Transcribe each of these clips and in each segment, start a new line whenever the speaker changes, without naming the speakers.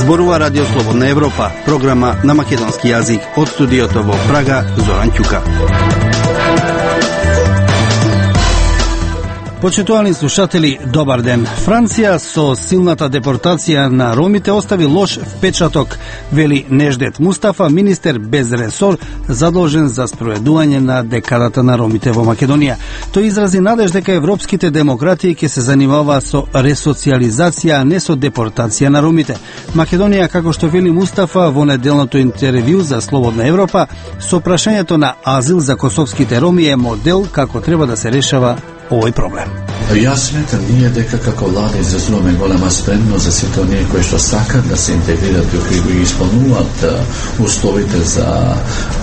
Зборува Радио Слободна Европа, програма на македонски јазик од студиото во Прага, Зоран Ќука. Почитувани слушатели, добар ден. Франција со силната депортација на ромите остави лош впечаток, вели Неждет Мустафа, министер без ресор, задолжен за спроведување на декадата на ромите во Македонија. Тој изрази надеж дека европските демократи ќе се занимава со ресоциализација, а не со депортација на ромите. Македонија, како што вели Мустафа во неделното интервју за Слободна Европа, со прашањето на азил за косовските роми е модел како треба да се решава овој проблем.
Јас сметам ние дека како влада изразуваме голема спремност за сите оние кои што сакат да се интегрират и кои го исполнуваат условите за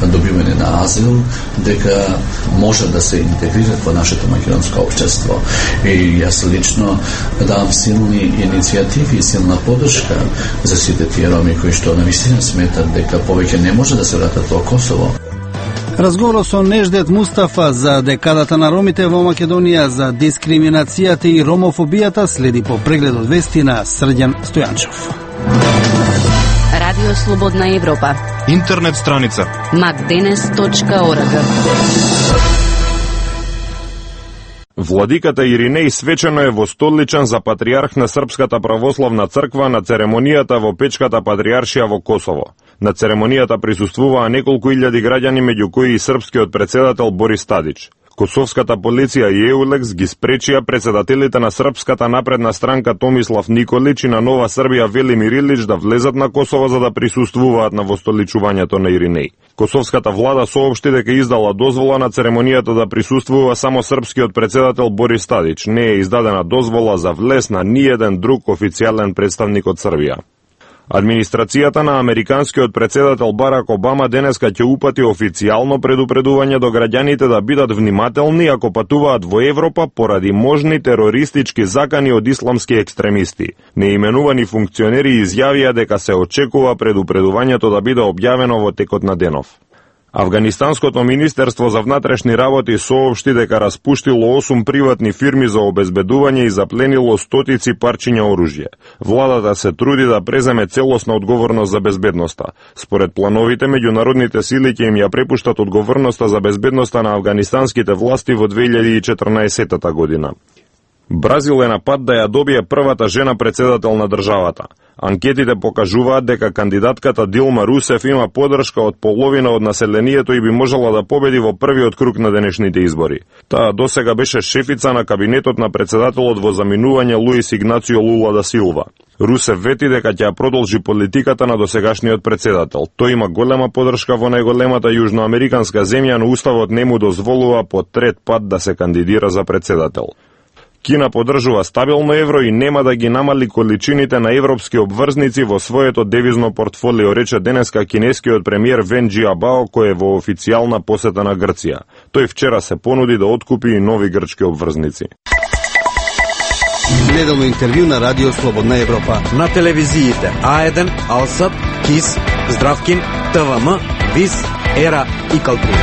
добивање на азил, дека може да се интегрират во нашето македонско општество. И јас лично давам силни иницијативи и силна поддршка за сите тие роми кои што навистина сметат дека повеќе не може да се вратат во Косово.
Разговорот со Неждет Мустафа за декадата на ромите во Македонија, за дискриминацијата и ромофобијата следи по прегледот вести на Срđan Стојанчов.
Радио Слободна Европа.
Интернет страница
macdenes.org.
Владиката Иринеј свечено е востоличен за патриарх на Српската православна црква на церемонијата во Печката патриаршија во Косово. На церемонијата присуствуваа неколку илјади граѓани, меѓу кои и српскиот председател Борис Тадич. Косовската полиција и Еулекс ги спречија председателите на Српската напредна странка Томислав Николич и на Нова Србија Велимир Илич да влезат на Косово за да присуствуваат на востоличувањето на Иринеј. Косовската влада соопшти дека издала дозвола на церемонијата да присуствува само српскиот председател Борис Тадич. Не е издадена дозвола за влез на ниеден друг официјален представник од Србија. Администрацијата на американскиот председател Барак Обама денеска ќе упати официјално предупредување до граѓаните да бидат внимателни ако патуваат во Европа поради можни терористички закани од исламски екстремисти. Неименувани функционери изјавија дека се очекува предупредувањето да биде објавено во текот на денов. Афганистанското министерство за внатрешни работи соопшти дека распуштило 8 приватни фирми за обезбедување и запленило стотици парчиња оружје. Владата се труди да преземе целосна одговорност за безбедноста. Според плановите, меѓународните сили ќе им ја препуштат одговорноста за безбедноста на афганистанските власти во 2014 година. Бразил е на пат да ја добие првата жена председател на државата. Анкетите покажуваат дека кандидатката Дилма Русеф има поддршка од половина од населението и би можела да победи во првиот круг на денешните избори. Таа досега беше шефица на кабинетот на председателот во заминување Луис Игнацио Лула да Силва. Русеф вети дека ќе ја продолжи политиката на досегашниот председател. Тој има голема поддршка во најголемата јужноамериканска земја, но уставот не му дозволува по трет пат да се кандидира за председател. Кина поддржува стабилно евро и нема да ги намали количините на европски обврзници во своето девизно портфолио, рече денеска кинескиот премиер Вен Џиабао, кој е во официјална посета на Грција. Тој вчера се понуди да откупи и нови грчки обврзници.
Неделно интервју на Радио Слободна Европа.
На телевизиите А1, Алсат, КИС, Здравкин, ТВМ, ВИС, ЕРА и Калтри.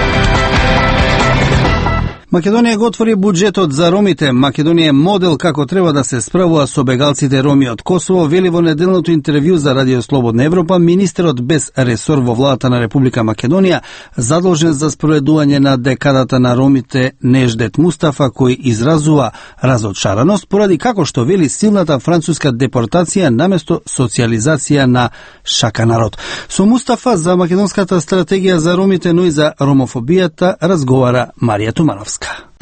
Македонија го отвори буџетот за ромите. Македонија е модел како треба да се справува со бегалците роми од Косово, вели во неделното интервју за Радио Слободна Европа министерот без ресор во владата на Република Македонија, задолжен за спроведување на декадата на ромите Неждет Мустафа, кој изразува разочараност поради како што вели силната француска депортација наместо социализација на шака народ. Со Мустафа за македонската стратегија за ромите, но и за ромофобијата разговара Марија Тумановска.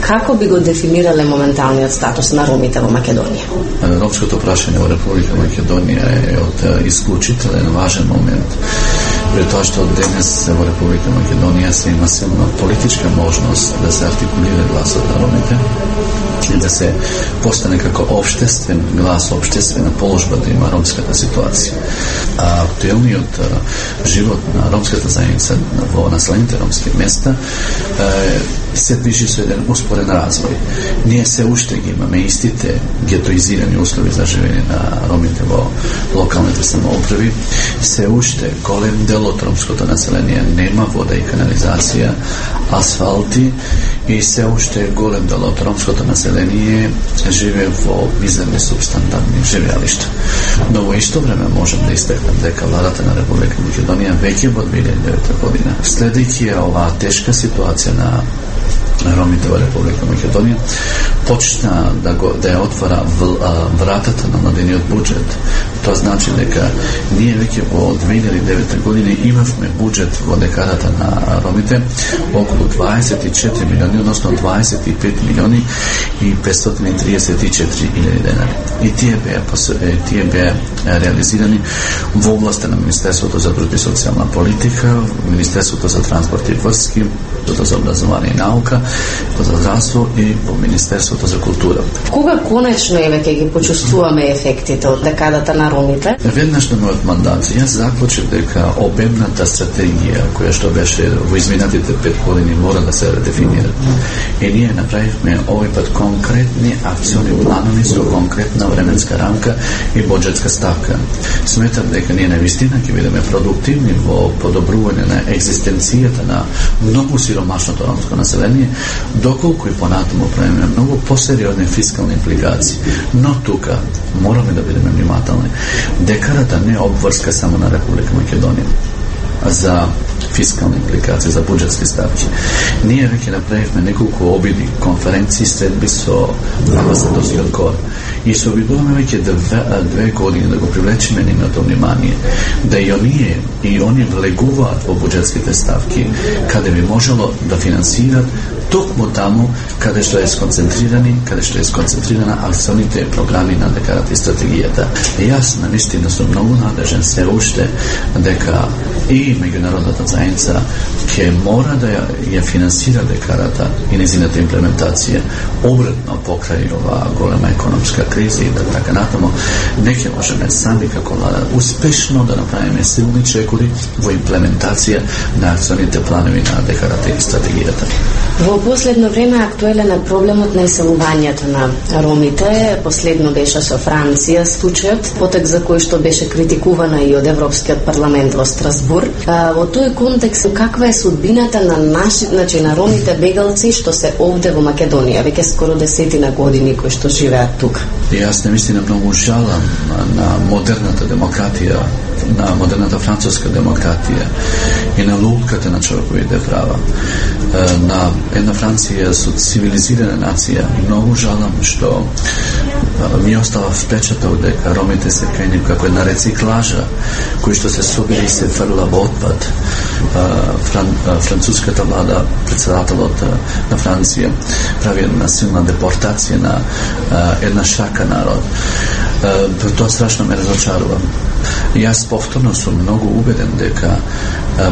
Како би го дефинирале моменталниот статус на ромите во Македонија?
Ромското прашање во Република Македонија е од исклучителен важен момент. При тоа што денес во Република Македонија се има силна политичка можност да се артикулира гласот на ромите и да се постане како општествен глас, општествена положба да има ромската ситуација. А актуелниот живот на ромската заедница во населените ромски места се движи со еден успорен развој. Ние се уште ги имаме истите гетоизирани услови за живење на ромите во локалните самоуправи, се уште голем дел од ромското население нема вода и канализација, асфалти, и се уште голем дел од ромското население живее во мизерни субстандардни живеалишта. Но во исто време можем да истакнем дека владата на Република Македонија веќе во 2009 година, следејќи оваа тешка ситуација на ромите во Република Македонија, почна да ја отвара вратата на младениот буџет. Тоа значи дека ние веќе во 2009 година имавме буџет во декадата на ромите околу 24 милиони, односно 25 милиони и 534 илјади денари. И тие беа реализирани во областа на Министерството за труд и социјална политика, Министерството за транспорт и врски, за образование и наука, за здравство и во Министерството за култура.
Кога конечно ќе ги почувствуваме ефектите од декадата на ромите?
Веднаш на мојот мандат јас заклучив дека обемната стратегија која што беше во изминатите 5 години мора да се редефинира. И ние направивме овој пат конкретни акциони планови со конкретна временска рамка и буџетска ставка. Сметам дека ние навистина ќе бидеме продуктивни во подобрување на екзистенцијата на многу сиромашното ромско население, доколку и понатаму правиме многу посериозни фискални импликации. Но тука мораме да бидеме внимателни. Декадата не е обврска само на Република Македонија за фискални импликации, за буџетски ставки. Ние веќе направивме неколку обиди, конференции, средби со амбасадорскиот кор и се обидуваме веќе 2 години да го привлечеме нивното внимание, да и они влегуваат во буџетските ставки, каде би можело да финансират токму таму каде што е сконцентрирана акционите програми на декадата и стратегијата. Јас навистина сум многу надежен се уште дека и меѓународната заедница ќе мора да ја финансира декадата и незината имплементација обратно покрај ова голема економска криза и да така натаму не ќе можеме сами како влада успешно да направиме силни чекори во имплементација на акционите планови на декадата и стратегијата.
Во последно време актуелен е проблемот на иселувањето на ромите. Последно беше со Франција случајот, потек за кој што беше критикувана и од Европскиот парламент во Страсбург. Во тој контекст, каква е судбината на на ромите бегалци што се овде во Македонија, веќе скоро 10 години кои што живеат тука?
Јас навистина многу жалам на модерната демократија, на модерната француска демократија и на лутката на човековите права. На една Франција со цивилизирана нација, многу жалам што ми остава впечаток дека ромите се кај како една рециклажа кој што се собира и се фрла во отпад. Француската влада, председателот на Франција прави една силна депортација на една шака народ. Тоа страшно ме разочарува. Јас повторно сум многу убеден дека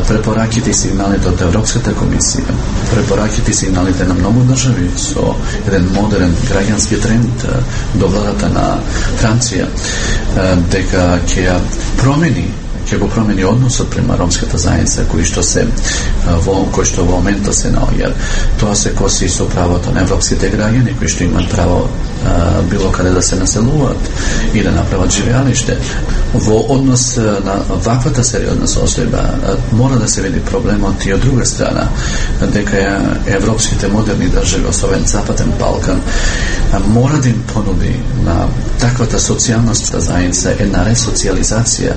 препораките и сигналите од Европската комисија, препораките и сигналите на многу држави со еден модерен граѓански тренд до владата на Франција, дека ќе го промени односот према ромската заедница кој што во моментот се наоѓа. Тоа се коси со правото на европските граѓани кои што имаат право било каде да се населуваат и да направат живеалиште. Во однос на ваквата сериозна состојба мора да се види проблемот и од друга страна, дека европските модерни држави, особено Западен Балкан, мора да им понуди на таквата социјална заедница една ресоциализација,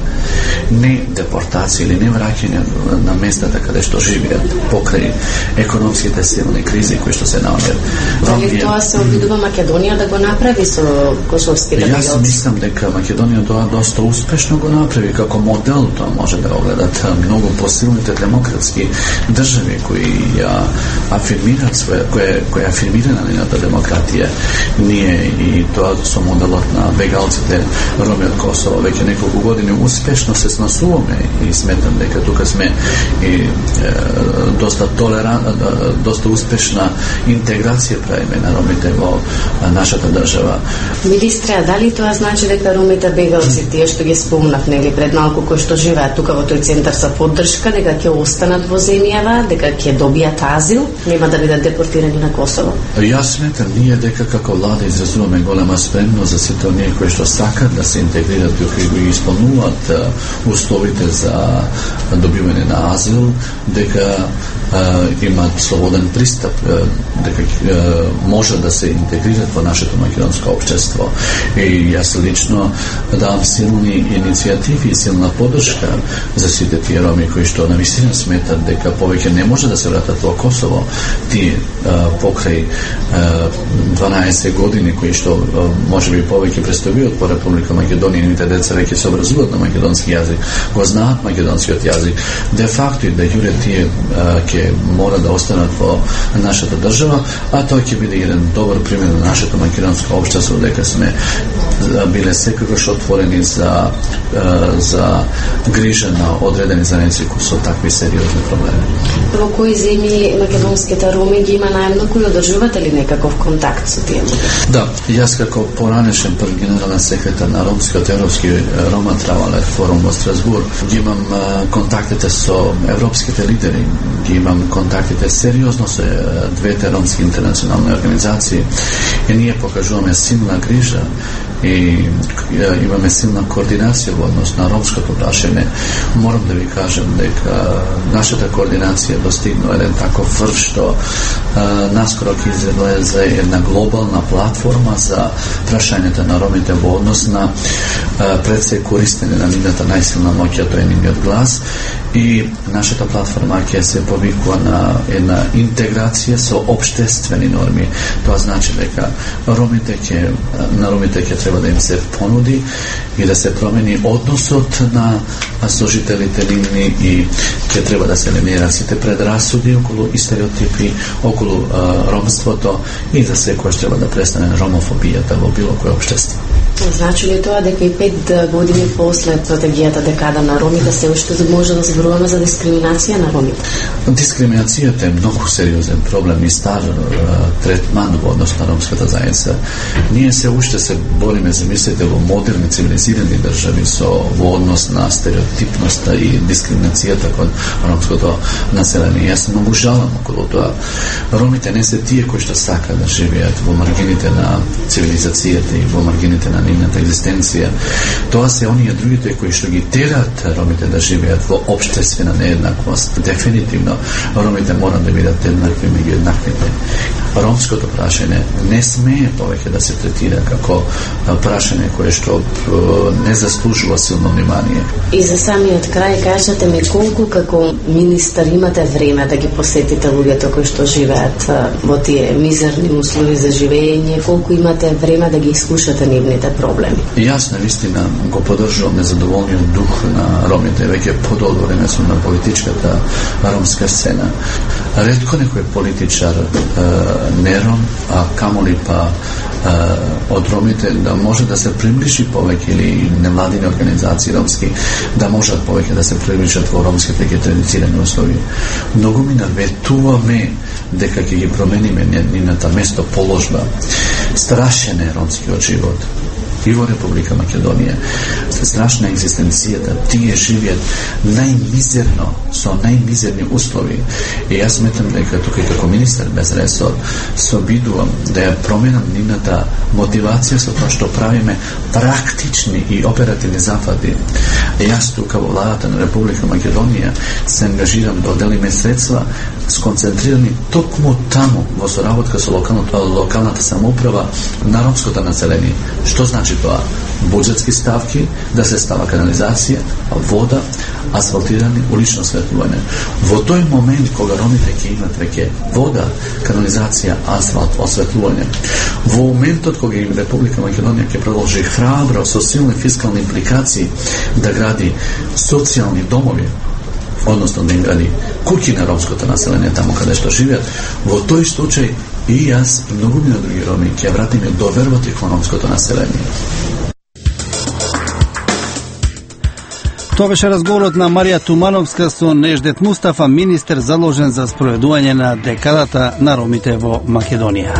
не депортација или не враќање на местата каде што живеат покрај економските силни кризи кои што се наоѓаат.
Дали тоа се обидува Македонија да го направи со косовските бегалци?
Јас мислам дека Македонија тоа доста успешно го направи како модел. Тоа може да го гледат многу посилните демократски држави кои ја афирмираат кои афирмира нивната демократија. Ние и тоа со моделот на бегалците роми од Косово веќе неколку години успешно се сносуваме и сметам дека тука сме и доста успешна интеграција правиме на ромите во нашата нашата држава.
Министре, дали тоа значи дека ромите бегалци, тие што ги спомнав нели пред малку, кои што живеат тука во тој центар за поддршка, дека ќе останат во земјава, дека ќе добијат азил, нема да бидат депортирани на Косово?
Јас сметам ние дека како влада изразуваме голема спремност за сите оние кои што сакат да се интегрират и кои исполнуваат условите за добивање на азил, дека имаат слободен пристап, дека може да се интегрират во нашето македонско општество. И јас лично давам силни иницијативи и силна поддршка за сите тие роми кои што навистина сметат дека повеќе не може да се вратат во Косово. Тие покрај 12 години кои што можеби повеќе престојуваат по Република Македонија, нивните деца веќе се образуваат на македонски јазик, го знаат македонскиот јазик. Де факто и да јуре тие ќе мора да останат во нашата држава, а тоа ќе биде еден добар пример на нашето македонско општество, дека сме биле секогаш отворени за грижа на одредени заедници со такви сериозни проблеми.
Во кои земји македонските роми ги има најмногу и одржувате ли некаков контакт со тие?
Да, јас како поранешен прв генерален секретар на Ромскиот европски Рома Травалер форум во Страсбург, ги имам контактите со европските лидери, ги имам контактите сериозно со двете ромски интернационални организации и ние покажуваме силна грижа и имаме силна координација во однос на ромското прашање. Морам да ви кажам дека нашата координација достигнува еден таков врв што наскоро ќе излезе една глобална платформа за прашањата на ромите во однос на пред се користење на нивната најсилна моќ, тоа е нивниот глас, и нашата платформа ќе се повикува на една интеграција со општествени норми. Тоа значи дека на ромите ќе треба да им се понуди и да се промени односот на сожителите нивни и ќе треба да се елиминираат сите предрасуди околу и стереотипи околу ромството и за секојаш треба да престане ромофобијата во било кое општество.
Значи ли тоа дека и 5 години после стратегијата декада на ромите се уште може да зборуваме за дискриминација на ромите?
Дискриминацијата е многу сериозен проблем и стар третман во однос на ромската заедница. Ние се уште се бориме, замислете, во модерни цивилизирани држави во однос на стереотипноста и дискриминацијата кон ромското население. Јас многу жалам околу тоа. Ромите не се тие кои што сакаат да живеат во маргините на цивилизацијата и во маргините на нивната екзистенција. Тоа се оние другите кои што ги тераат ромите да живеат во општествена нееднаквост. Дефинитивно, ромите мора да бидат еднакви меѓу еднаквите. Ромското прашање не смее повеќе да се третира како прашање кое што не заслужува силно внимание.
И за самиот крај, кажете ми колку како министар имате време да ги посетите луѓето кои што живеат во тие мизерни услови за живење, колку имате време да ги слушате нивните проблеми?
Јас навистина го поддржувам незадоволниот дух на ромите, веќе подолго време сум на политичката ромска сцена. Ретко некој политичар не ром, а камоли па од ромите да може да се приближи повеќе, или невладини организации ромски да можат повеќе да се приближат во ромските традиционални услови. Многу ми наветуваме дека ќе ги промениме нивната местоположба. Страшен е ромскиот живот и во Република Македонија. Страшна екзистенцијата. Тие живеат најмизерно, со најмизерни услови. И јас сметам дека тука како министар без ресор се обидувам да ја променам нивната мотивација со тоа што правиме практични и оперативни зафати. Јас тука во владата на Република Македонија се ангажирам да оделиме средства сконцентрирани токму таму во соработка со локалната самоуправа на ромското население. Што значи тоа? Буџетски ставки, да се става канализација, вода, асфалтирани, улично осветлување. Во тој момент кога ромите ќе имат веќе вода, канализација, асфалт, осветлување, во моментот кога им Република Македонија ќе продолжи храбро со силни фискални импликации да гради социјални домови, односно да им гради куќи на ромското население таму каде што живеат, во тој случај и јас и многумина други роми ќе вратиме довербата кон ромското население.
Тоа беше разговорот на Марија Тумановска со Неждет Мустафа, министер заложен за спроведување на декадата на ромите во Македонија.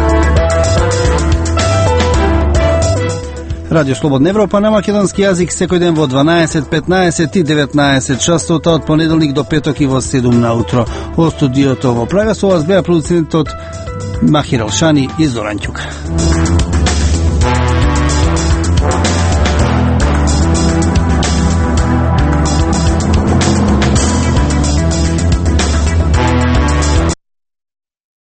Радио Слободна Европа на македонски јазик секој ден во 12, 15 и 19 часот од понеделник до петок и во 7 наутро. Во студиото во Прага со вас беа продуцентот Махир Алшани и Зоран Ќука.